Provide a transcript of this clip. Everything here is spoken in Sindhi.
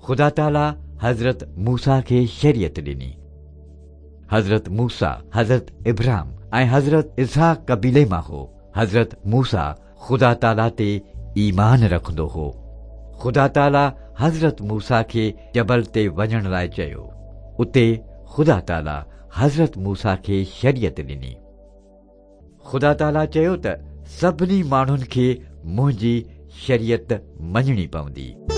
خدا تعاليٰ حضرت موسيٰ کي شريعت ڏني. حضرت موسيٰ حضرت ابراهيم ۽ حضرت اسحاق قبيلي مان هو. حضرت موسيٰ خدا تعاليٰ تي ايمان رکندو هو. خدا تعاليٰ حضرت موسيٰ کي جبل تي وڃڻ لاء چيو. اتي خدا تعاليٰ حضرت موسيٰ کي شريعت ڏني. خدا تعاليٰ چيو ته سڀني ماڻهن کي منهنجي شريعت مڃڻي پوندي.